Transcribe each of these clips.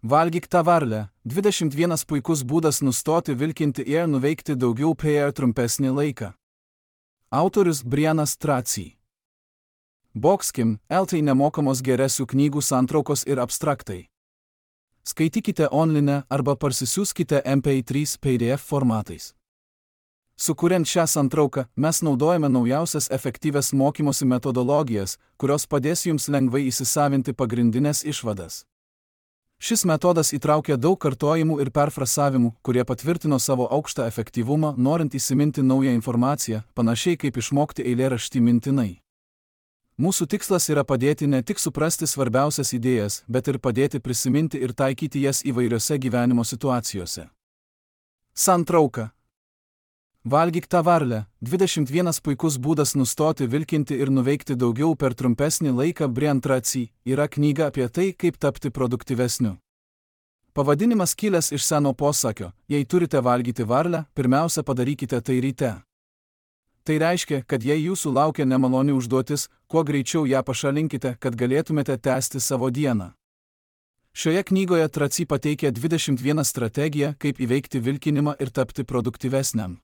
Valgyk tą varlę. 21 puikus būdas nustoti vilkinti ir nuveikti daugiau per trumpesnį laiką. Autorius Brianas Tracy. Boxkim, LT nemokamos geresių knygų santraukos ir abstraktai. Skaitykite online arba parsisiųskite MP3 PDF formatais. Sukuriant šią santrauką, mes naudojame naujausias efektyvias mokymosi metodologijas, kurios padės jums lengvai įsisavinti pagrindinės išvadas. Šis metodas įtraukia daug kartojimų ir perfrasavimų, kurie patvirtino savo aukštą efektyvumą, norint įsiminti naują informaciją, panašiai kaip išmokti eilėraštį mintinai. Mūsų tikslas yra padėti ne tik suprasti svarbiausias idėjas, bet ir padėti prisiminti ir taikyti jas įvairiose gyvenimo situacijose. Santrauka. Valgyk tą varlę. 21 puikus būdas nustoti vilkinti ir nuveikti daugiau per trumpesnį laiką. Brian Tracy yra knyga apie tai, kaip tapti produktyvesniu. Pavadinimas kilęs iš seno posakio: jei turite valgyti varlę, pirmiausia padarykite tai ryte. Tai reiškia, kad jei jūsų laukia nemaloni užduotis, kuo greičiau ją pašalinkite, kad galėtumėte tęsti savo dieną. Šioje knygoje Tracy pateikia 21 strategiją, kaip įveikti vilkinimą ir tapti produktyvesniam.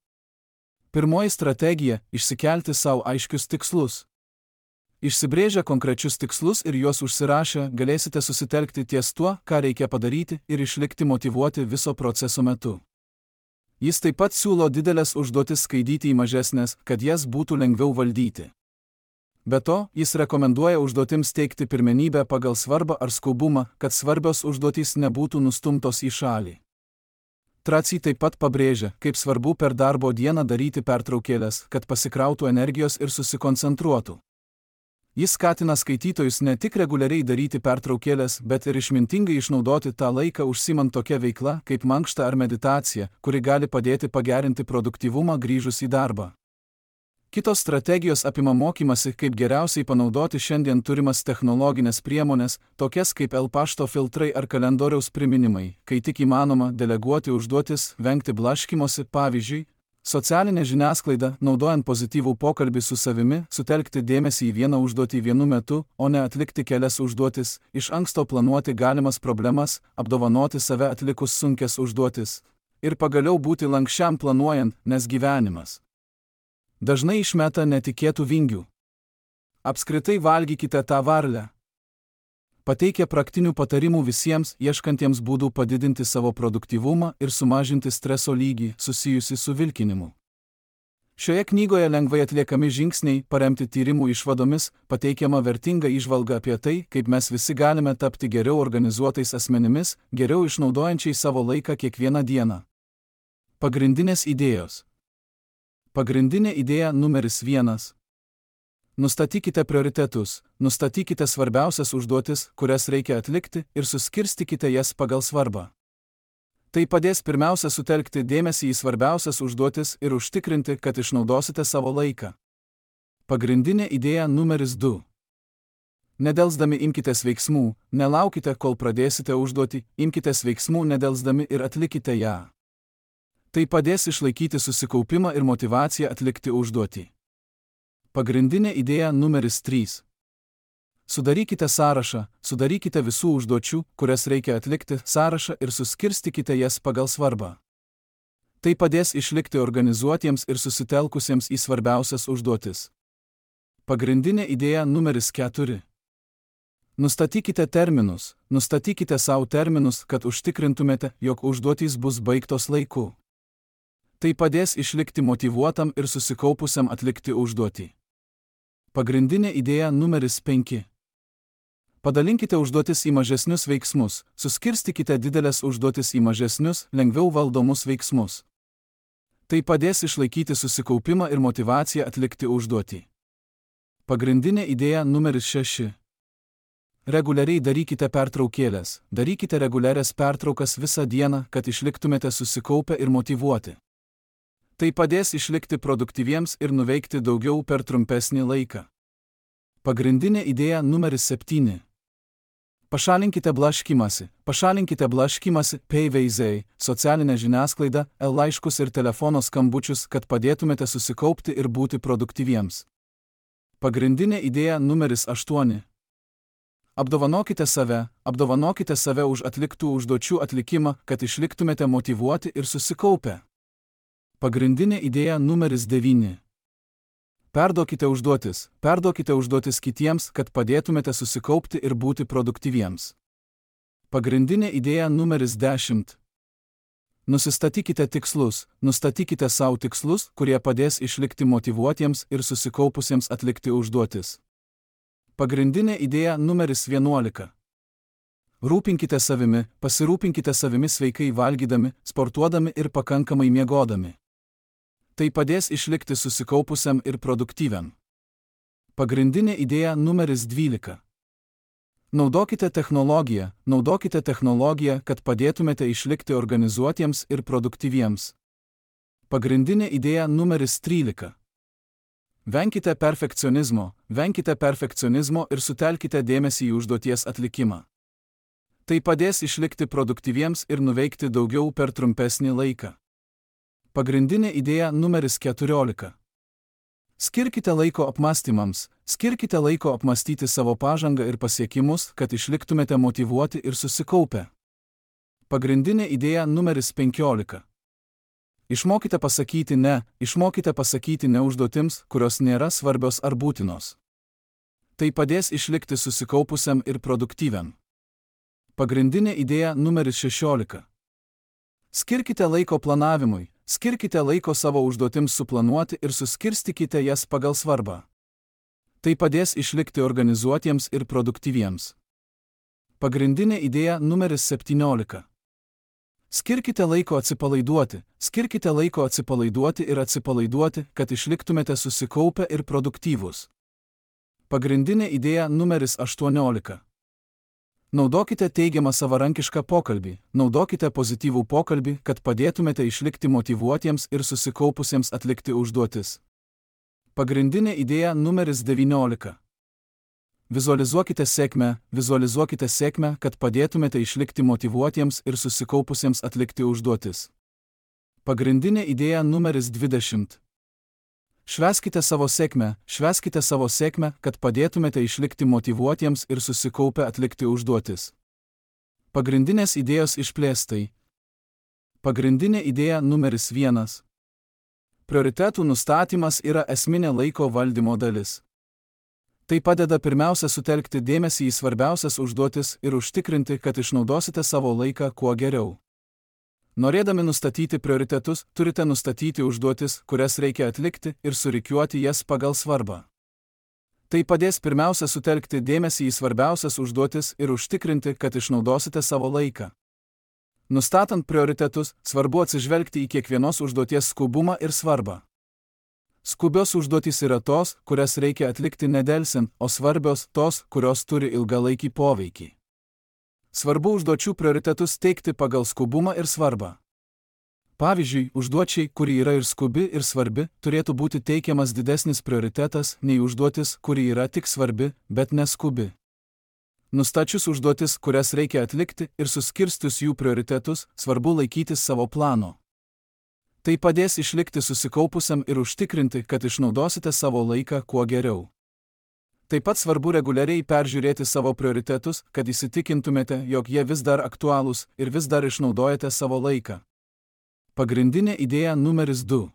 Pirmoji strategija – išsikelti savo aiškius tikslus. Išsibrėžę konkrečius tikslus ir juos užsirašę, galėsite susitelkti ties tuo, ką reikia padaryti ir išlikti motyvuoti viso proceso metu. Jis taip pat siūlo didelės užduotis skaidyti į mažesnės, kad jas būtų lengviau valdyti. Be to, jis rekomenduoja užduotims teikti pirmenybę pagal svarbą ar skubumą, kad svarbios užduotys nebūtų nustumtos į šalį. Tracy taip pat pabrėžia, kaip svarbu per darbo dieną daryti pertraukėles, kad pasikrautų energijos ir susikoncentruotų. Jis skatina skaitytojus ne tik reguliariai daryti pertraukėles, bet ir išmintingai išnaudoti tą laiką užsiimant tokia veikla, kaip mankšta ar meditacija, kuri gali padėti pagerinti produktyvumą grįžus į darbą. Kitos strategijos apima mokymasi, kaip geriausiai panaudoti šiandien turimas technologinės priemonės, tokias kaip pašto filtrai ar kalendoriaus priminimai, kai tik įmanoma deleguoti užduotis, vengti blaškymosi, pavyzdžiui, socialinė žiniasklaida, naudojant pozityvų pokalbį su savimi, sutelkti dėmesį į vieną užduotį vienu metu, o ne atlikti kelias užduotis, iš anksto planuoti galimas problemas, apdovanoti save atlikus sunkias užduotis ir pagaliau būti lankščiam planuojant, nes gyvenimas dažnai išmeta netikėtų vingių. Apskritai valgykite tą varlę. Pateikia praktinių patarimų visiems, ieškantiems būdų padidinti savo produktyvumą ir sumažinti streso lygį susijusi su vilkinimu. Šioje knygoje lengvai atliekami žingsniai, paremti tyrimų išvadomis, pateikiama vertinga įžvalga apie tai, kaip mes visi galime tapti geriau organizuotais asmenimis, geriau išnaudojančiai savo laiką kiekvieną dieną. Pagrindinės idėjos. Pagrindinė idėja numeris 1. Nustatykite prioritetus, nustatykite svarbiausias užduotis, kurias reikia atlikti ir suskirstykite jas pagal svarbą. Tai padės pirmiausia sutelkti dėmesį į svarbiausias užduotis ir užtikrinti, kad išnaudosite savo laiką. Pagrindinė idėja numeris 2. Nedelsdami imkitės veiksmų, nelaukite, kol pradėsite užduotį, imkitės veiksmų nedelsdami ir atlikite ją. Tai padės išlaikyti susikaupimą ir motyvaciją atlikti užduotį. Pagrindinė idėja numeris 3. Sudarykite sąrašą, sudarykite visų užduočių, kurias reikia atlikti, sąrašą ir suskirstykite jas pagal svarbą. Tai padės išlikti organizuotiems ir susitelkusiems į svarbiausias užduotis. Pagrindinė idėja numeris 4. Nustatykite terminus, nustatykite savo terminus, kad užtikrintumėte, jog užduotys bus baigtos laiku. Tai padės išlikti motyvuotam ir susikaupusiam atlikti užduotį. Pagrindinė idėja numeris 5. Padalinkite užduotis į mažesnius veiksmus, suskirstykite didelės užduotis į mažesnius, lengviau valdomus veiksmus. Tai padės išlaikyti susikaupimą ir motyvaciją atlikti užduotį. Pagrindinė idėja numeris 6. Reguliariai darykite pertraukėles, darykite reguliarias pertraukas visą dieną, kad išliktumėte susikaupę ir motyvuoti. Tai padės išlikti produktyviems ir nuveikti daugiau per trumpesnį laiką. Pagrindinė idėja numeris 7. Pašalinkite blaškymąsi, PVZ, socialinę žiniasklaidą, laiškus ir telefono skambučius, kad padėtumėte susikaupti ir būti produktyviems. Pagrindinė idėja numeris 8. apdovanokite save už atliktų užduočių atlikimą, kad išliktumėte motyvuoti ir susikaupę. Pagrindinė idėja numeris 9. Perduokite užduotis kitiems, kad padėtumėte susikaupti ir būti produktyviems. Pagrindinė idėja numeris 10. Nustatykite savo tikslus, kurie padės išlikti motyvuotiems ir susikaupusiems atlikti užduotis. Pagrindinė idėja numeris 11. Pasirūpinkite savimi sveikai valgydami, sportuodami ir pakankamai miegodami. Tai padės išlikti susikaupusiam ir produktyviam. Pagrindinė idėja numeris 12. Naudokite technologiją, kad padėtumėte išlikti organizuotiems ir produktyviems. Pagrindinė idėja numeris 13. Venkite perfekcionizmo ir sutelkite dėmesį į užduoties atlikimą. Tai padės išlikti produktyviems ir nuveikti daugiau per trumpesnį laiką. Pagrindinė idėja numeris 14. Skirkite laiko apmąstyti savo pažangą ir pasiekimus, kad išliktumėte motyvuoti ir susikaupę. Pagrindinė idėja numeris 15. Išmokite pasakyti ne užduotims, kurios nėra svarbios ar būtinos. Tai padės išlikti susikaupusiam ir produktyviam. Pagrindinė idėja numeris 16. Skirkite laiko planavimui. Skirkite laiko savo užduotims suplanuoti ir suskirstykite jas pagal svarbą. Tai padės išlikti organizuotiems ir produktyviems. Pagrindinė idėja numeris 17. Skirkite laiko atsipalaiduoti, kad išliktumėte susikaupę ir produktyvūs. Pagrindinė idėja numeris 18. Naudokite teigiamą savarankišką pokalbį, naudokite pozityvų pokalbį, kad padėtumėte išlikti motyvuotiems ir susikaupusiems atlikti užduotis. Pagrindinė idėja numeris 19. Vizualizuokite sėkmę, kad padėtumėte išlikti motyvuotiems ir susikaupusiems atlikti užduotis. Pagrindinė idėja numeris 20. Švęskite savo sėkmę, kad padėtumėte išlikti motyvuotiems ir susikaupę atlikti užduotis. Pagrindinės idėjos išplėstai. Pagrindinė idėja numeris 1. Prioritetų nustatymas yra esminė laiko valdymo dalis. Tai padeda pirmiausia sutelkti dėmesį į svarbiausias užduotis ir užtikrinti, kad išnaudosite savo laiką kuo geriau. Norėdami nustatyti prioritetus, turite nustatyti užduotis, kurias reikia atlikti ir surikiuoti jas pagal svarbą. Tai padės pirmiausia sutelkti dėmesį į svarbiausias užduotis ir užtikrinti, kad išnaudosite savo laiką. Nustatant prioritetus, svarbu atsižvelgti į kiekvienos užduoties skubumą ir svarbą. Skubios užduotys yra tos, kurias reikia atlikti nedelsiant, o svarbios tos, kurios turi ilgalaikį poveikį. Svarbu užduočių prioritetus teikti pagal skubumą ir svarbą. Pavyzdžiui, užduočiai, kuri yra ir skubi, ir svarbi, turėtų būti teikiamas didesnis prioritetas nei užduotis, kuri yra tik svarbi, bet neskubi. Nustačius užduotis, kurias reikia atlikti, ir suskirstus jų prioritetus, svarbu laikytis savo plano. Tai padės išlikti susikaupusiam ir užtikrinti, kad išnaudosite savo laiką kuo geriau. Taip pat svarbu reguliariai peržiūrėti savo prioritetus, kad įsitikintumėte, jog jie vis dar aktualūs ir vis dar išnaudojate savo laiką. Pagrindinė idėja numeris 2.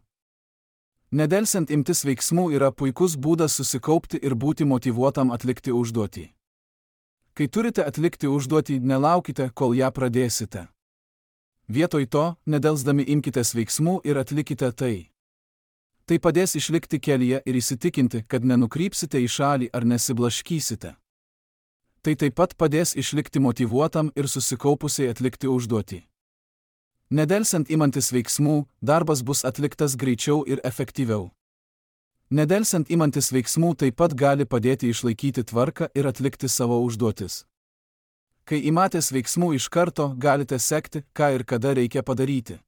Nedelsiant imtis veiksmų yra puikus būdas susikaupti ir būti motyvuotam atlikti užduotį. Kai turite atlikti užduotį, nelaukite, kol ją pradėsite. Vietoj to, nedelsdami imkitės veiksmų ir atlikite tai. Tai padės išlikti kelyje ir įsitikinti, kad nenukrypsite į šalį ar nesiblaškysite. Tai taip pat padės išlikti motyvuotam ir susikaupusiai atlikti užduotį. Nedelsiant imantis veiksmų, darbas bus atliktas greičiau ir efektyviau. Nedelsiant imantis veiksmų taip pat gali padėti išlaikyti tvarką ir atlikti savo užduotis. Kai imatės veiksmų iš karto, galite sekti, ką ir kada reikia padaryti.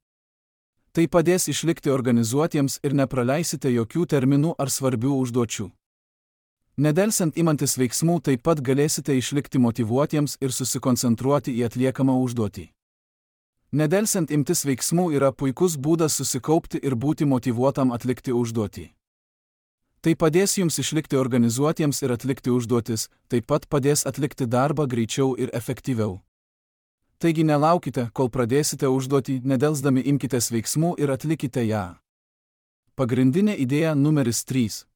Tai padės išlikti organizuotiems ir nepraleisite jokių terminų ar svarbių užduočių. Nedelsiant imantis veiksmų taip pat galėsite išlikti motyvuotiems ir susikoncentruoti į atliekamą užduotį. Nedelsiant imtis veiksmų yra puikus būdas susikaupti ir būti motyvuotam atlikti užduotį. Tai padės jums išlikti organizuotiems ir atlikti užduotis, taip pat padės atlikti darbą greičiau ir efektyviau. Taigi nelaukite, kol pradėsite užduotį, nedelsdami imkitės veiksmų ir atlikite ją. Pagrindinė idėja numeris 3.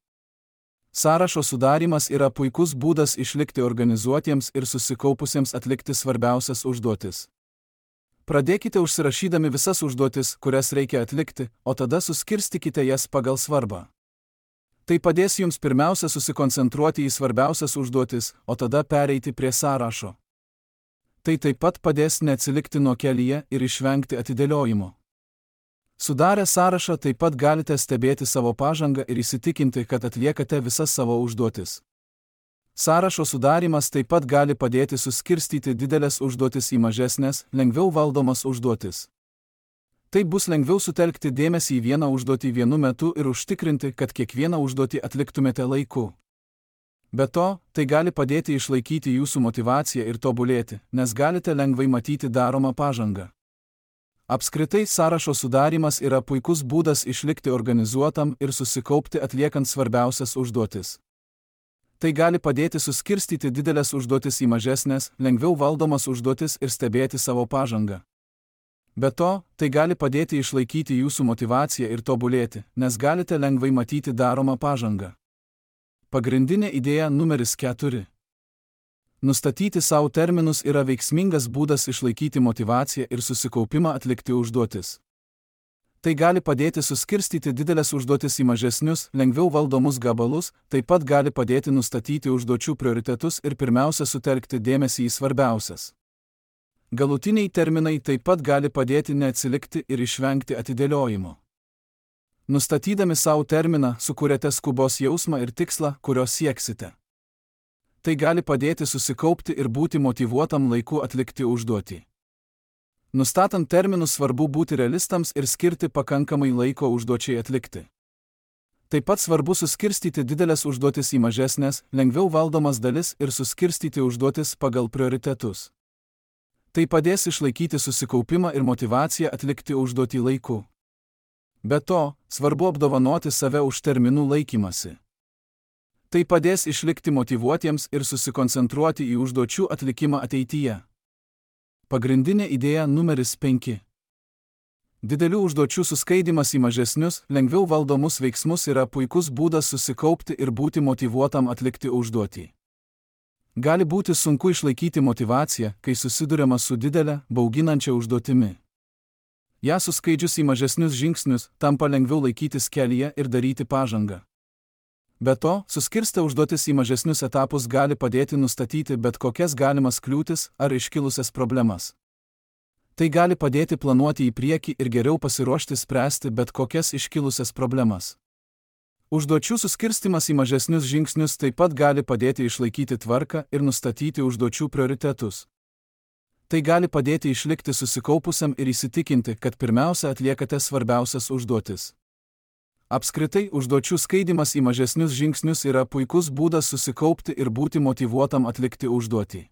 Sąrašo sudarymas yra puikus būdas išlikti organizuotiems ir susikaupusiems atlikti svarbiausias užduotis. Pradėkite užsirašydami visas užduotis, kurias reikia atlikti, o tada suskirstykite jas pagal svarbą. Tai padės jums pirmiausia susikoncentruoti į svarbiausias užduotis, o tada pereiti prie sąrašo. Tai taip pat padės neatsilikti nuo kelyje ir išvengti atidėliojimo. Sudarę sąrašą taip pat galite stebėti savo pažangą ir įsitikinti, kad atliekate visas savo užduotis. Sąrašo sudarymas taip pat gali padėti suskirstyti didelės užduotis į mažesnės, lengviau valdomas užduotis. Taip bus lengviau sutelkti dėmesį į vieną užduotį vienu metu ir užtikrinti, kad kiekvieną užduotį atliktumėte laiku. Be to, tai gali padėti išlaikyti jūsų motyvaciją ir tobulėti, nes galite lengvai matyti daromą pažangą. Apskritai, sąrašo sudarymas yra puikus būdas išlikti organizuotam ir susikaupti atliekant svarbiausias užduotis. Tai gali padėti suskirstyti didelės užduotis į mažesnės, lengviau valdomas užduotis ir stebėti savo pažangą. Be to, tai gali padėti išlaikyti jūsų motyvaciją ir tobulėti, nes galite lengvai matyti daromą pažangą. Pagrindinė idėja numeris 4. Nustatyti savo terminus yra veiksmingas būdas išlaikyti motyvaciją ir susikaupimą atlikti užduotis. Tai gali padėti suskirstyti didelės užduotis į mažesnius, lengviau valdomus gabalus, taip pat gali padėti nustatyti užduočių prioritetus ir pirmiausia sutelkti dėmesį į svarbiausias. Galutiniai terminai taip pat gali padėti neatsilikti ir išvengti atidėliojimo. Nustatydami savo terminą, sukuriate skubos jausmą ir tikslą, kurio sieksite. Tai gali padėti susikaupti ir būti motyvuotam laiku atlikti užduotį. Nustatant terminus svarbu būti realistams ir skirti pakankamai laiko užduočiai atlikti. Taip pat svarbu suskirstyti didelės užduotis į mažesnės, lengviau valdomas dalis ir suskirstyti užduotis pagal prioritetus. Tai padės išlaikyti susikaupimą ir motyvaciją atlikti užduotį laiku. Be to, svarbu apdovanoti save už terminų laikymasi. Tai padės išlikti motyvuotiems ir susikoncentruoti į užduočių atlikimą ateityje. Pagrindinė idėja numeris 5. Didelių užduočių suskaidimas į mažesnius, lengviau valdomus veiksmus yra puikus būdas susikaupti ir būti motyvuotam atlikti užduotį. Gali būti sunku išlaikyti motyvaciją, kai susiduriama su didelė, bauginančia užduotimi. Ja suskaidžius į mažesnius žingsnius, tampa lengviau laikytis kelyje ir daryti pažangą. Be to, suskirstę užduotis į mažesnius etapus gali padėti nustatyti bet kokias galimas kliūtis ar iškilusias problemas. Tai gali padėti planuoti į priekį ir geriau pasiruošti spręsti bet kokias iškilusias problemas. Užduočių suskirstimas į mažesnius žingsnius taip pat gali padėti išlaikyti tvarką ir nustatyti užduočių prioritetus. Tai gali padėti išlikti susikaupusiam ir įsitikinti, kad pirmiausia atliekate svarbiausias užduotis. Apskritai, užduočių skaidimas į mažesnius žingsnius yra puikus būdas susikaupti ir būti motyvuotam atlikti užduotį.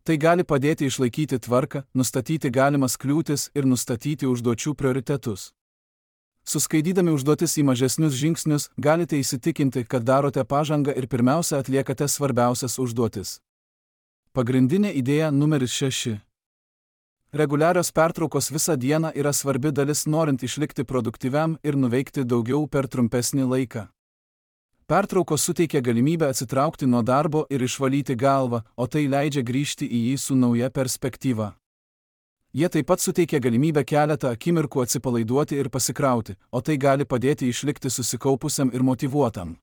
Tai gali padėti išlaikyti tvarką, nustatyti galimas kliūtis ir nustatyti užduočių prioritetus. Suskaidydami užduotis į mažesnius žingsnius, galite įsitikinti, kad darote pažangą ir pirmiausia atliekate svarbiausias užduotis. Pagrindinė idėja numeris 6. Reguliarios pertraukos visą dieną yra svarbi dalis norint išlikti produktyviam ir nuveikti daugiau per trumpesnį laiką. Pertraukos suteikia galimybę atsitraukti nuo darbo ir išvalyti galvą, o tai leidžia grįžti į jį su nauja perspektyva. Jie taip pat suteikia galimybę keletą akimirkų atsipalaiduoti ir pasikrauti, o tai gali padėti išlikti susikaupusiam ir motyvuotam.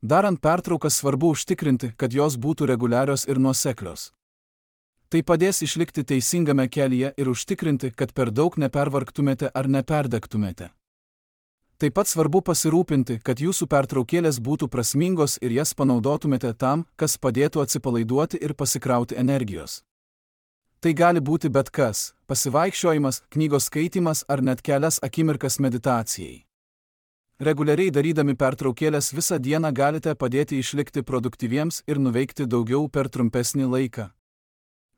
Darant pertraukas svarbu užtikrinti, kad jos būtų reguliarios ir nuoseklios. Tai padės išlikti teisingame kelyje ir užtikrinti, kad per daug nepervargtumėte ar neperdegtumėte. Taip pat svarbu pasirūpinti, kad jūsų pertraukėlės būtų prasmingos ir jas panaudotumėte tam, kas padėtų atsipalaiduoti ir pasikrauti energijos. Tai gali būti bet kas – pasivaikščiojimas, knygos skaitymas ar net kelias akimirkas meditacijai. Reguliariai darydami pertraukėlės visą dieną galite padėti išlikti produktyviems ir nuveikti daugiau per trumpesnį laiką.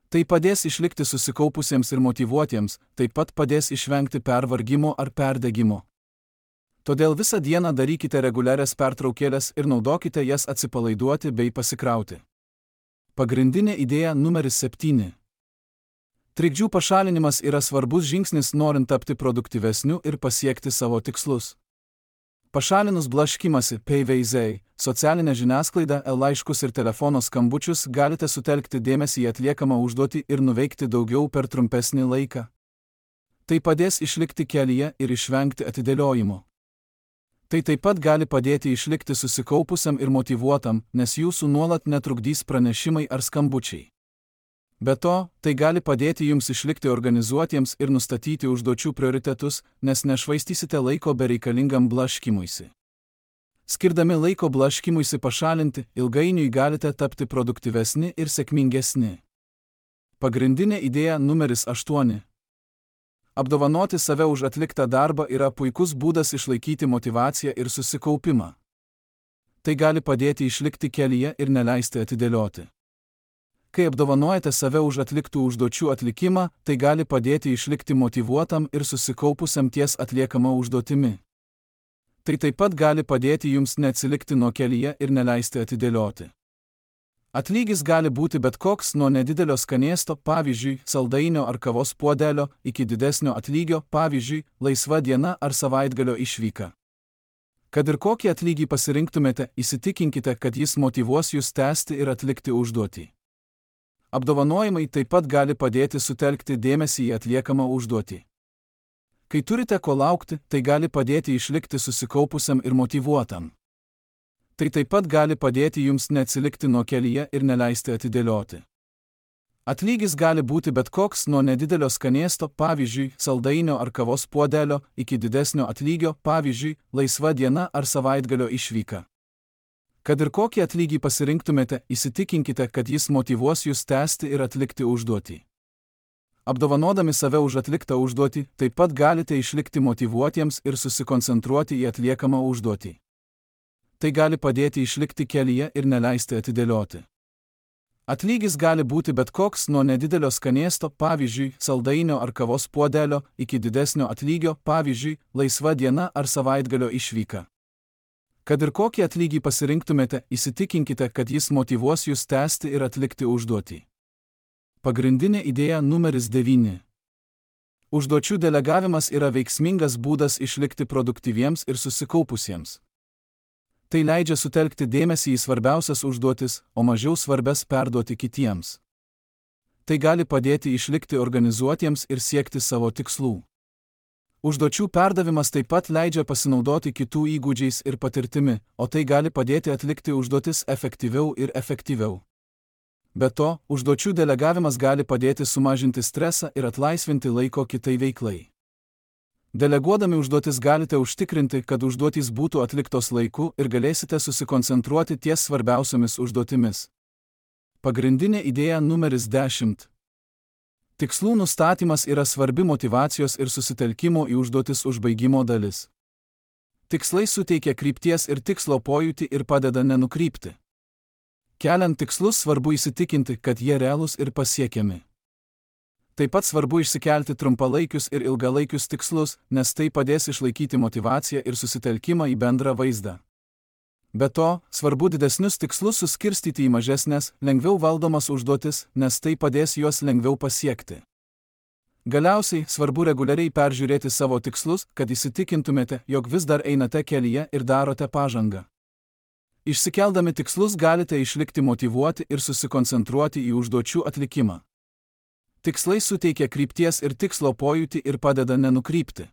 Tai padės išlikti susikaupusiems ir motyvuotiems, taip pat padės išvengti pervargimo ar perdegimo. Todėl visą dieną darykite reguliarias pertraukėles ir naudokite jas atsipalaiduoti bei pasikrauti. Pagrindinė idėja numeris 7. Trikdžių pašalinimas yra svarbus žingsnis norint tapti produktyvesniu ir pasiekti savo tikslus. Pašalinus blaškymąsi, PVZ, socialinę žiniasklaidą, laiškus ir telefono skambučius galite sutelkti dėmesį į atliekamą užduotį ir nuveikti daugiau per trumpesnį laiką. Tai padės išlikti kelyje ir išvengti atidėliojimo. Tai taip pat gali padėti išlikti susikaupusiam ir motyvuotam, nes jūsų nuolat netrukdys pranešimai ar skambučiai. Be to, tai gali padėti jums išlikti organizuotiems ir nustatyti užduočių prioritetus, nes nešvaistysite laiko bereikalingam blaškymuisi. Skirdami laiko blaškymuisi pašalinti, ilgainiui galite tapti produktyvesni ir sėkmingesni. Pagrindinė idėja numeris 8. Apdovanoti save už atliktą darbą yra puikus būdas išlaikyti motyvaciją ir susikaupimą. Tai gali padėti išlikti kelyje ir neleisti atidėlioti. Kai apdovanojate save už atliktų užduočių atlikimą, tai gali padėti išlikti motyvuotam ir susikaupusiam ties atliekama užduotimi. Tai taip pat gali padėti jums neatsilikti nuo kelyje ir neleisti atidėlioti. Atlygis gali būti bet koks nuo nedidelio skanėsto, pavyzdžiui, saldainio ar kavos puodelio, iki didesnio atlygio, pavyzdžiui, laisva diena ar savaitgalio išvyka. Kad ir kokį atlygį pasirinktumėte, įsitikinkite, kad jis motyvuos jūs tęsti ir atlikti užduotį. Apdovanojimai taip pat gali padėti sutelkti dėmesį į atliekamą užduotį. Kai turite ko laukti, tai gali padėti išlikti susikaupusiam ir motyvuotam. Tai taip pat gali padėti jums neatsilikti nuo kelyje ir neleisti atidėlioti. Atlygis gali būti bet koks nuo nedidelio skanėsto, pavyzdžiui, saldainio ar kavos puodelio, iki didesnio atlygio, pavyzdžiui, laisva diena ar savaitgalio išvyka. Kad ir kokį atlygį pasirinktumėte, įsitikinkite, kad jis motyvuos jūs tęsti ir atlikti užduotį. Apdovanodami save už atliktą užduotį, taip pat galite išlikti motyvuotiems ir susikoncentruoti į atliekamą užduotį. Tai gali padėti išlikti kelyje ir neleisti atidėlioti. Atlygis gali būti bet koks nuo nedidelio skanėsto, pavyzdžiui, saldainio ar kavos puodelio, iki didesnio atlygio, pavyzdžiui, laisva diena ar savaitgalio išvyka. Kad ir kokį atlygį pasirinktumėte, įsitikinkite, kad jis motyvuos jūs tęsti ir atlikti užduotį. Pagrindinė idėja numeris 9. Užduočių delegavimas yra veiksmingas būdas išlikti produktyviems ir susikaupusiems. Tai leidžia sutelkti dėmesį į svarbiausias užduotis, o mažiau svarbias perduoti kitiems. Tai gali padėti išlikti organizuotiems ir siekti savo tikslų. Užduočių perdavimas taip pat leidžia pasinaudoti kitų įgūdžiais ir patirtimi, o tai gali padėti atlikti užduotis efektyviau ir efektyviau. Be to, užduočių delegavimas gali padėti sumažinti stresą ir atlaisvinti laiko kitai veiklai. Deleguodami užduotis galite užtikrinti, kad užduotys būtų atliktos laiku ir galėsite susikoncentruoti ties svarbiausiomis užduotimis. Pagrindinė idėja numeris 10. Tikslų nustatymas yra svarbi motyvacijos ir susitelkimo į užduotis užbaigimo dalis. Tikslai suteikia krypties ir tikslo pojūtį ir padeda nenukrypti. Keliant tikslus svarbu įsitikinti, kad jie realūs ir pasiekiami. Taip pat svarbu išsikelti trumpalaikius ir ilgalaikius tikslus, nes tai padės išlaikyti motyvaciją ir susitelkimą į bendrą vaizdą. Be to, svarbu didesnius tikslus suskirstyti į mažesnes, lengviau valdomas užduotis, nes tai padės juos lengviau pasiekti. Galiausiai, svarbu reguliariai peržiūrėti savo tikslus, kad įsitikintumėte, jog vis dar einate kelyje ir darote pažangą. Išsikeldami tikslus galite išlikti motyvuoti ir susikoncentruoti į užduočių atlikimą. Tikslai suteikia krypties ir tikslo pojūtį ir padeda nenukrypti.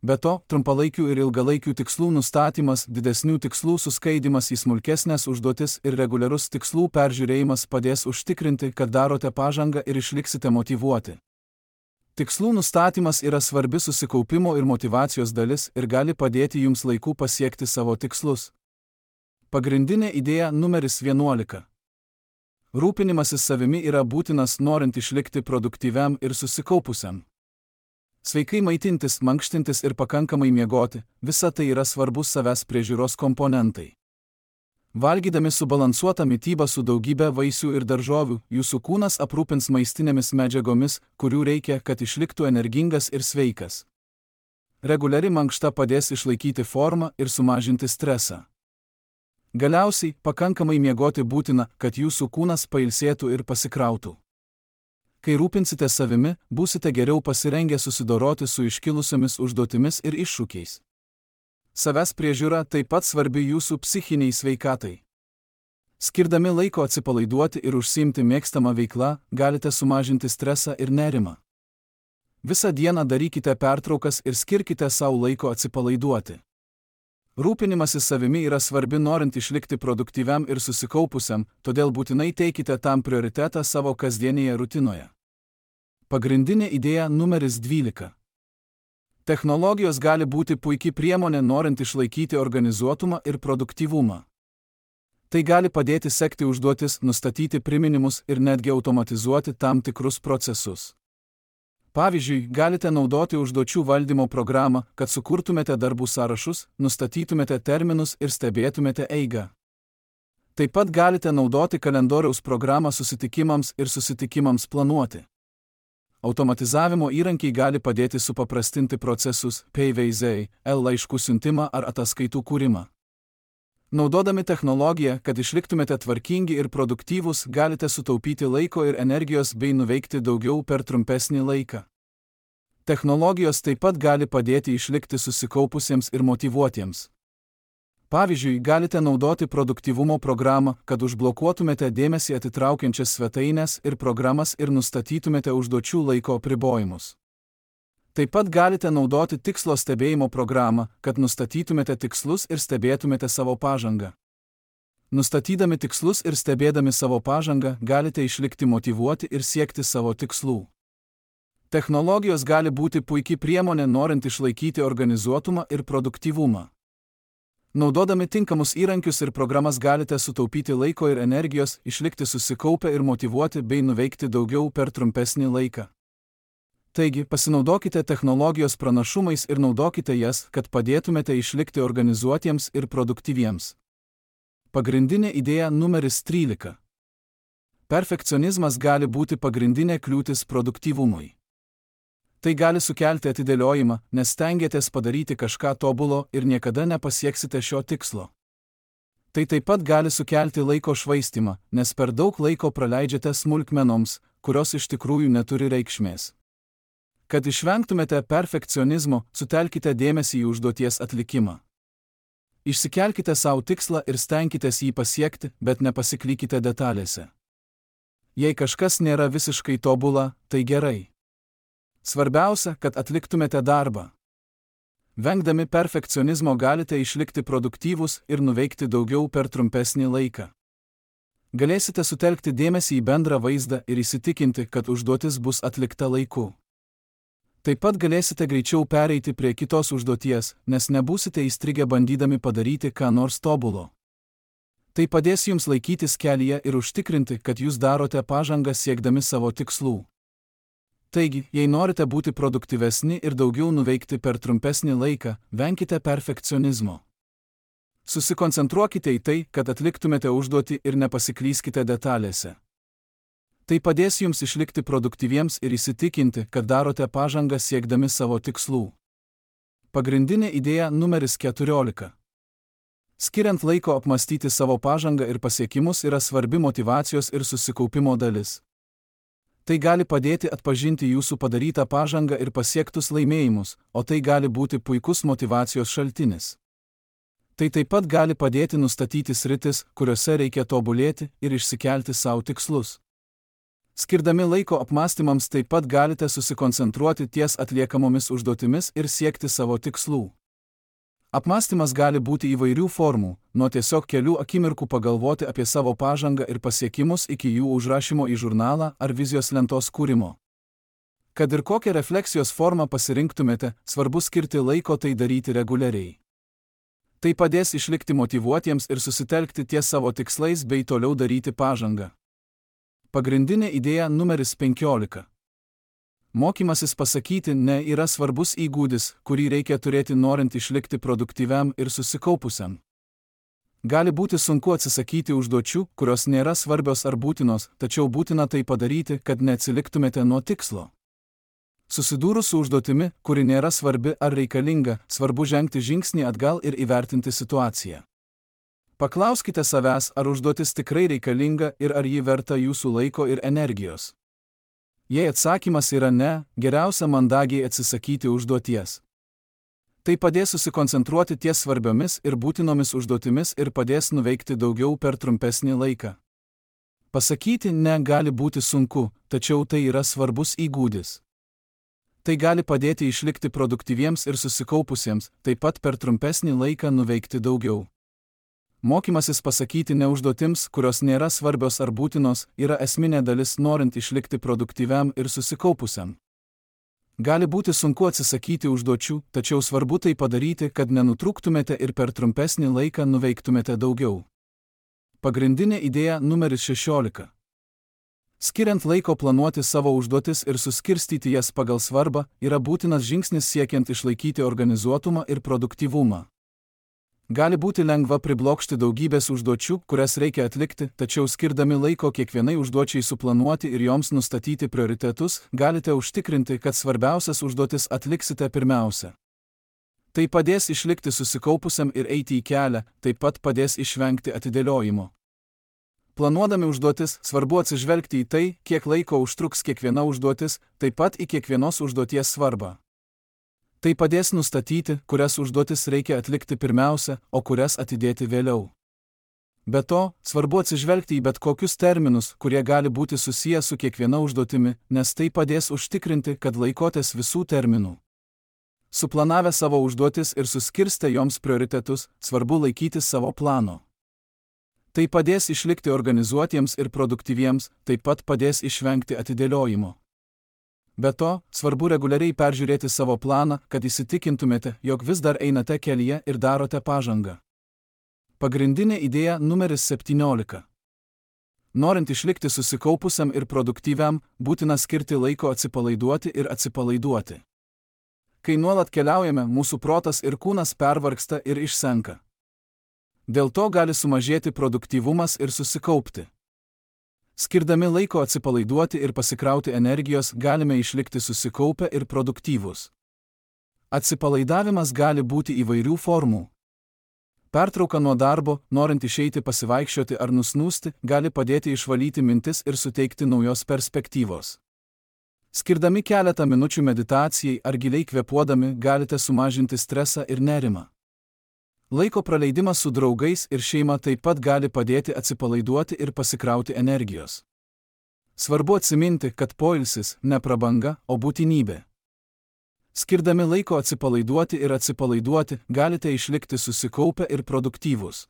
Be to, trumpalaikių ir ilgalaikių tikslų nustatymas, didesnių tikslų suskaidimas į smulkesnės užduotis ir reguliarus tikslų peržiūrėjimas padės užtikrinti, kad darote pažangą ir išliksite motyvuoti. Tikslų nustatymas yra svarbi susikaupimo ir motyvacijos dalis ir gali padėti jums laiku pasiekti savo tikslus. Pagrindinė idėja numeris 11. Rūpinimasis savimi yra būtinas norint išlikti produktyviam ir susikaupusiam. Sveikai maitintis, mankštintis ir pakankamai miegoti – visa tai yra svarbus savęs priežiūros komponentai. Valgydami subalansuotą mitybą su daugybė vaisių ir daržovių, jūsų kūnas aprūpins maistinėmis medžiagomis, kurių reikia, kad išliktų energingas ir sveikas. Reguliari mankšta padės išlaikyti formą ir sumažinti stresą. Galiausiai, pakankamai miegoti būtina, kad jūsų kūnas pailsėtų ir pasikrautų. Kai rūpinsite savimi, būsite geriau pasirengę susidoroti su iškilusiomis užduotimis ir iššūkiais. Savęs priežiūra taip pat svarbi jūsų psichiniai sveikatai. Skirdami laiko atsipalaiduoti ir užsiimti mėgstamą veiklą, galite sumažinti stresą ir nerimą. Visą dieną darykite pertraukas ir skirkite savo laiko atsipalaiduoti. Rūpinimasis savimi yra svarbi norint išlikti produktyviam ir susikaupusiam, todėl būtinai teikite tam prioritetą savo kasdienėje rutinoje. Pagrindinė idėja numeris 12. Technologijos gali būti puikiai priemonė norint išlaikyti organizuotumą ir produktyvumą. Tai gali padėti sekti užduotis, nustatyti priminimus ir netgi automatizuoti tam tikrus procesus. Pavyzdžiui, galite naudoti užduočių valdymo programą, kad sukurtumėte darbų sąrašus, nustatytumėte terminus ir stebėtumėte eigą. Taip pat galite naudoti kalendoriaus programą susitikimams ir susitikimams planuoti. Automatizavimo įrankiai gali padėti supaprastinti procesus, PVZ, laiškų siuntimą ar ataskaitų kūrimą. Naudodami technologiją, kad išliktumėte tvarkingi ir produktyvūs, galite sutaupyti laiko ir energijos bei nuveikti daugiau per trumpesnį laiką. Technologijos taip pat gali padėti išlikti susikaupusiems ir motyvuotiems. Pavyzdžiui, galite naudoti produktyvumo programą, kad užblokuotumėte dėmesį atitraukiančias svetaines ir programas ir nustatytumėte užduočių laiko apribojimus. Taip pat galite naudoti tikslo stebėjimo programą, kad nustatytumėte tikslus ir stebėtumėte savo pažangą. Nustatydami tikslus ir stebėdami savo pažangą, galite išlikti motyvuoti ir siekti savo tikslų. Technologijos gali būti puikiai priemonė norint išlaikyti organizuotumą ir produktyvumą. Naudodami tinkamus įrankius ir programas galite sutaupyti laiko ir energijos, išlikti susikaupę ir motyvuoti bei nuveikti daugiau per trumpesnį laiką. Taigi, pasinaudokite technologijos pranašumais ir naudokite jas, kad padėtumėte išlikti organizuotiems ir produktyviems. Pagrindinė idėja numeris 13. Perfekcionizmas gali būti pagrindinė kliūtis produktyvumui. Tai gali sukelti atidėliojimą, nes stengiatės padaryti kažką tobulo ir niekada nepasieksite šio tikslo. Tai taip pat gali sukelti laiko švaistymą, nes per daug laiko praleidžiate smulkmenoms, kurios iš tikrųjų neturi reikšmės. Kad išvengtumėte perfekcionizmo, sutelkite dėmesį į užduoties atlikimą. Išsikelkite savo tikslą ir stenkitės jį pasiekti, bet nepasiklykite detalėse. Jei kažkas nėra visiškai tobula, tai gerai. Svarbiausia, kad atliktumėte darbą. Vengdami perfekcionizmo galite išlikti produktyvūs ir nuveikti daugiau per trumpesnį laiką. Galėsite sutelkti dėmesį į bendrą vaizdą ir įsitikinti, kad užduotis bus atlikta laiku. Taip pat galėsite greičiau pereiti prie kitos užduoties, nes nebūsite įstrigę bandydami padaryti ką nors tobulo. Tai padės jums laikytis kelyje ir užtikrinti, kad jūs darote pažangą siekdami savo tikslų. Taigi, jei norite būti produktyvesni ir daugiau nuveikti per trumpesnį laiką, venkite perfekcionizmo. Susikoncentruokite į tai, kad atliktumėte užduotį ir nepasiklyskite detalėse. Tai padės jums išlikti produktyviems ir įsitikinti, kad darote pažangą siekdami savo tikslų. Pagrindinė idėja numeris 14. Skiriant laiko apmastyti savo pažangą ir pasiekimus yra svarbi motyvacijos ir susikaupimo dalis. Tai gali padėti atpažinti jūsų padarytą pažangą ir pasiektus laimėjimus, o tai gali būti puikus motyvacijos šaltinis. Tai taip pat gali padėti nustatyti sritis, kuriuose reikia tobulėti ir išsikelti savo tikslus. Skirdami laiko apmąstymams taip pat galite susikoncentruoti ties atliekamomis užduotimis ir siekti savo tikslų. Apmąstymas gali būti įvairių formų, nuo tiesiog kelių akimirkų pagalvoti apie savo pažangą ir pasiekimus iki jų užrašymo į žurnalą ar vizijos lentos kūrimo. Kad ir kokią refleksijos formą pasirinktumėte, svarbu skirti laiko tai daryti reguliariai. Tai padės išlikti motyvuotiems ir susitelkti ties savo tikslais bei toliau daryti pažangą. Pagrindinė idėja numeris 15. Mokymasis pasakyti ne yra svarbus įgūdis, kurį reikia turėti norint išlikti produktyviam ir susikaupusiam. Gali būti sunku atsisakyti užduočių, kurios nėra svarbios ar būtinos, tačiau būtina tai padaryti, kad neatsiliktumėte nuo tikslo. Susidūrus su užduotimi, kuri nėra svarbi ar reikalinga, svarbu žengti žingsnį atgal ir įvertinti situaciją. Paklauskite savęs, ar užduotis tikrai reikalinga ir ar ji verta jūsų laiko ir energijos. Jei atsakymas yra ne, geriausia mandagiai atsisakyti užduoties. Tai padės susikoncentruoti ties svarbiomis ir būtinomis užduotimis ir padės nuveikti daugiau per trumpesnį laiką. Pasakyti ne gali būti sunku, tačiau tai yra svarbus įgūdis. Tai gali padėti išlikti produktyviems ir susikaupusiems, taip pat per trumpesnį laiką nuveikti daugiau. Mokymasis pasakyti ne užduotims, kurios nėra svarbios ar būtinos, yra esminė dalis norint išlikti produktyviam ir susikaupusiam. Gali būti sunku atsisakyti užduočių, tačiau svarbu tai padaryti, kad nenutrūktumėte ir per trumpesnį laiką nuveiktumėte daugiau. Pagrindinė idėja numeris 16. Skiriant laiko planuoti savo užduotis ir suskirstyti jas pagal svarbą yra būtinas žingsnis siekiant išlaikyti organizuotumą ir produktyvumą. Gali būti lengva priblokšti daugybės užduočių, kurias reikia atlikti, tačiau skirdami laiko kiekvienai užduočiai suplanuoti ir joms nustatyti prioritetus, galite užtikrinti, kad svarbiausias užduotis atliksite pirmiausia. Tai padės išlikti susikaupusiam ir eiti į kelią, taip pat padės išvengti atidėliojimo. Planuodami užduotis, svarbu atsižvelgti į tai, kiek laiko užtruks kiekviena užduotis, taip pat į kiekvienos užduoties svarbą. Tai padės nustatyti, kurias užduotis reikia atlikti pirmiausia, o kurias atidėti vėliau. Be to, svarbu atsižvelgti į bet kokius terminus, kurie gali būti susiję su kiekviena užduotimi, nes tai padės užtikrinti, kad laikotės visų terminų. Suplanavę savo užduotis ir suskirstę joms prioritetus, svarbu laikytis savo plano. Tai padės išlikti organizuotiems ir produktyviems, taip pat padės išvengti atidėliojimo. Be to, svarbu reguliariai peržiūrėti savo planą, kad įsitikintumėte, jog vis dar einate kelyje ir darote pažangą. Pagrindinė idėja numeris 17. Norint išlikti susikaupusiam ir produktyviam, būtina skirti laiko atsipalaiduoti ir atsipalaiduoti. Kai nuolat keliaujame, mūsų protas ir kūnas pervargsta ir išsenka. Dėl to gali sumažėti produktyvumas ir susikaupti. Skirdami laiko atsipalaiduoti ir pasikrauti energijos, galime išlikti susikaupę ir produktyvūs. Atsipalaidavimas gali būti įvairių formų. Pertrauka nuo darbo, norint išeiti pasivaikščioti ar nusnūsti, gali padėti išvalyti mintis ir suteikti naujos perspektyvos. Skirdami keletą minučių meditacijai ar giliai kvėpuodami, galite sumažinti stresą ir nerimą. Laiko praleidimas su draugais ir šeima taip pat gali padėti atsipalaiduoti ir pasikrauti energijos. Svarbu atsiminti, kad poilsis ne prabanga, o būtinybė. Skirdami laiko atsipalaiduoti ir atsipalaiduoti, galite išlikti susikaupę ir produktyvūs.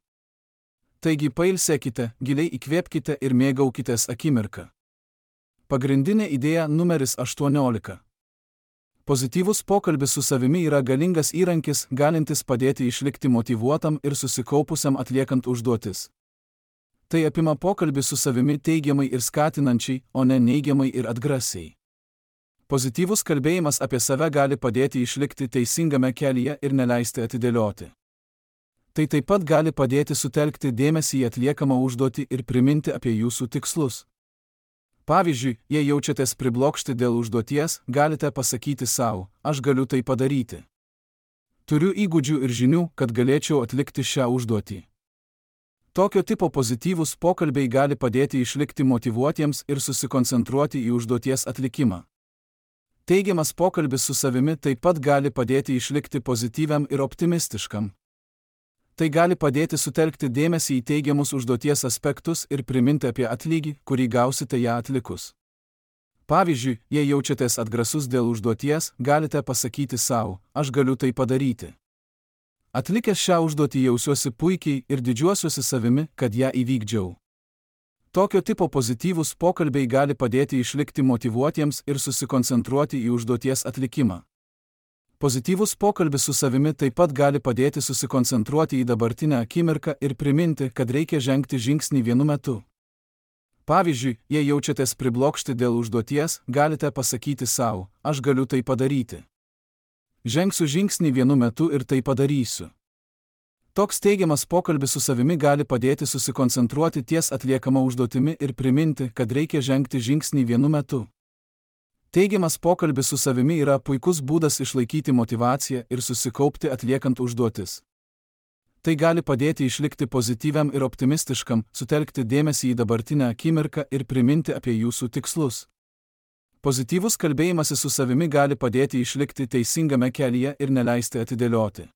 Taigi pailsėkite, giliai įkvėpkite ir mėgaukitės akimirką. Pagrindinė idėja numeris 18. Pozityvus pokalbis su savimi yra galingas įrankis, galintis padėti išlikti motyvuotam ir susikaupusiam atliekant užduotis. Tai apima pokalbį su savimi teigiamai ir skatinančiai, o ne neigiamai ir atgrasiai. Pozityvus kalbėjimas apie save gali padėti išlikti teisingame kelyje ir neleisti atidėlioti. Tai taip pat gali padėti sutelkti dėmesį į atliekamą užduotį ir priminti apie jūsų tikslus. Pavyzdžiui, jei jaučiatės priblokšti dėl užduoties, galite pasakyti sau, aš galiu tai padaryti. Turiu įgūdžių ir žinių, kad galėčiau atlikti šią užduotį. Tokio tipo pozityvūs pokalbiai gali padėti išlikti motyvuotiems ir susikoncentruoti į užduoties atlikimą. Teigiamas pokalbis su savimi taip pat gali padėti išlikti pozityviam ir optimistiškam. Tai gali padėti sutelkti dėmesį į teigiamus užduoties aspektus ir priminti apie atlygį, kurį gausite ją atlikus. Pavyzdžiui, jei jaučiatės atgrasus dėl užduoties, galite pasakyti sau, aš galiu tai padaryti. Atlikęs šią užduotį jausiuosi puikiai ir didžiuosiuosi savimi, kad ją įvykdžiau. Tokio tipo pozityvūs pokalbiai gali padėti išlikti motyvuotiems ir susikoncentruoti į užduoties atlikimą. Pozityvus pokalbis su savimi taip pat gali padėti susikoncentruoti į dabartinę akimirką ir priminti, kad reikia žengti žingsnį vienu metu. Pavyzdžiui, jei jaučiatės priblokšti dėl užduoties, galite pasakyti sau, aš galiu tai padaryti. Žengsiu žingsnį vienu metu ir tai padarysiu. Toks teigiamas pokalbis su savimi gali padėti susikoncentruoti ties atliekama užduotimi ir priminti, kad reikia žengti žingsnį vienu metu. Teigiamas pokalbis su savimi yra puikus būdas išlaikyti motyvaciją ir susikaupti atliekant užduotis. Tai gali padėti išlikti pozityviam ir optimistiškam, sutelkti dėmesį į dabartinę akimirką ir priminti apie jūsų tikslus. Pozityvus kalbėjimasis su savimi gali padėti išlikti teisingame kelyje ir neleisti atidėlioti.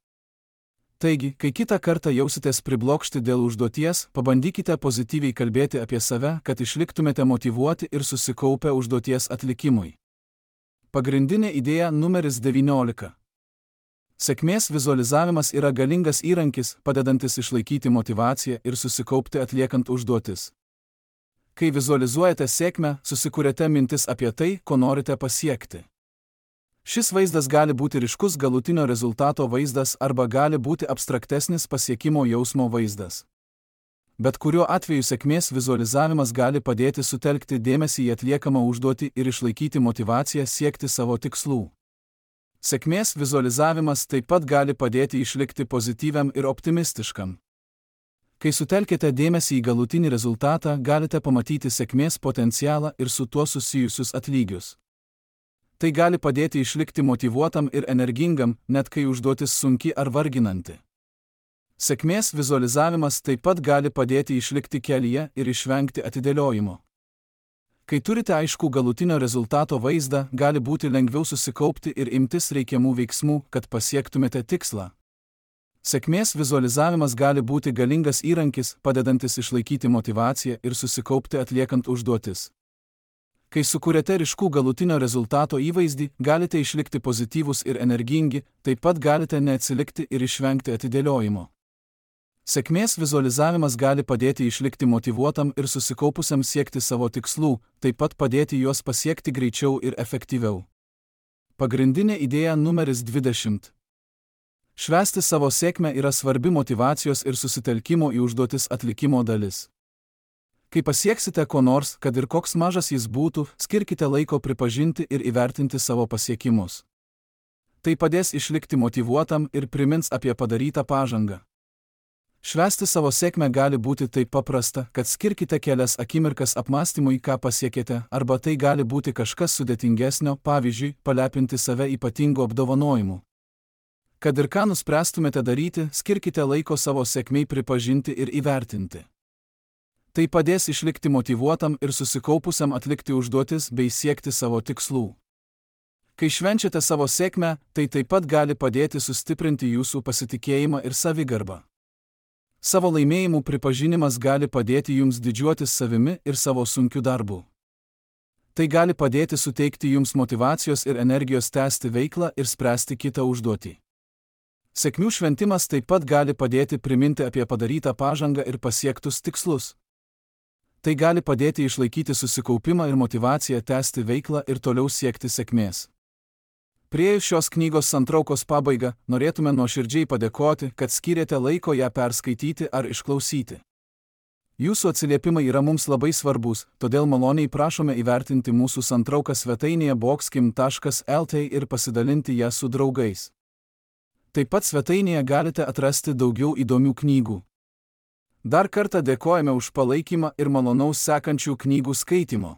Taigi, kai kitą kartą jausitės priblokšti dėl užduoties, pabandykite pozityviai kalbėti apie save, kad išliktumėte motyvuoti ir susikaupę užduoties atlikimui. Pagrindinė idėja numeris 19. Sėkmės vizualizavimas yra galingas įrankis, padedantis išlaikyti motyvaciją ir susikaupti atliekant užduotis. Kai vizualizuojate sėkmę, susikuriate mintis apie tai, ko norite pasiekti. Šis vaizdas gali būti ryškus galutinio rezultato vaizdas arba gali būti abstraktesnis pasiekimo jausmo vaizdas. Bet kuriuo atveju sėkmės vizualizavimas gali padėti sutelkti dėmesį į atliekamą užduotį ir išlaikyti motyvaciją siekti savo tikslų. Sėkmės vizualizavimas taip pat gali padėti išlikti pozityviam ir optimistiškam. Kai sutelkite dėmesį į galutinį rezultatą, galite pamatyti sėkmės potencialą ir su tuo susijusius atlygius. Tai gali padėti išlikti motyvuotam ir energingam, net kai užduotis sunki ar varginanti. Sėkmės vizualizavimas taip pat gali padėti išlikti kelyje ir išvengti atidėliojimo. Kai turite aiškų galutinio rezultato vaizdą, gali būti lengviau susikaupti ir imtis reikiamų veiksmų, kad pasiektumėte tikslą. Sėkmės vizualizavimas gali būti galingas įrankis, padedantis išlaikyti motyvaciją ir susikaupti atliekant užduotis. Kai sukūrėte ryškų galutinio rezultato įvaizdį, galite išlikti pozityvūs ir energingi, taip pat galite neatsilikti ir išvengti atidėliojimo. Sėkmės vizualizavimas gali padėti išlikti motyvuotam ir susikaupusiam siekti savo tikslų, taip pat padėti juos pasiekti greičiau ir efektyviau. Pagrindinė idėja numeris 20. Švęsti savo sėkmę yra svarbi motyvacijos ir susitelkimo į užduotis atlikimo dalis. Kai pasieksite ko nors, kad ir koks mažas jis būtų, skirkite laiko pripažinti ir įvertinti savo pasiekimus. Tai padės išlikti motyvuotam ir primins apie padarytą pažangą. Švęsti savo sėkmę gali būti taip paprasta, kad skirkite kelias akimirkas apmąstymui, ką pasiekėte, arba tai gali būti kažkas sudėtingesnio, pavyzdžiui, palepinti save ypatingu apdovanojimu. Kad ir ką nuspręstumėte daryti, skirkite laiko savo sėkmei pripažinti ir įvertinti. Tai padės išlikti motyvuotam ir susikaupusiam atlikti užduotis bei siekti savo tikslų. Kai švenčiate savo sėkmę, tai taip pat gali padėti sustiprinti jūsų pasitikėjimą ir savigarbą. Savo laimėjimų pripažinimas gali padėti jums didžiuotis savimi ir savo sunkiu darbu. Tai gali padėti suteikti jums motyvacijos ir energijos tęsti veiklą ir spręsti kitą užduotį. Sėkmių šventimas taip pat gali padėti priminti apie padarytą pažangą ir pasiektus tikslus. Tai gali padėti išlaikyti susikaupimą ir motyvaciją tęsti veiklą ir toliau siekti sėkmės. Priėjus šios knygos santraukos pabaigą, norėtume nuoširdžiai padėkoti, kad skyrėte laiko ją perskaityti ar išklausyti. Jūsų atsiliepimai yra mums labai svarbus, todėl maloniai prašome įvertinti mūsų santrauką svetainėje boxkim.lt ir pasidalinti ją su draugais. Taip pat svetainėje galite atrasti daugiau įdomių knygų. Dar kartą dėkojame už palaikymą ir malonaus sekančių knygų skaitimo.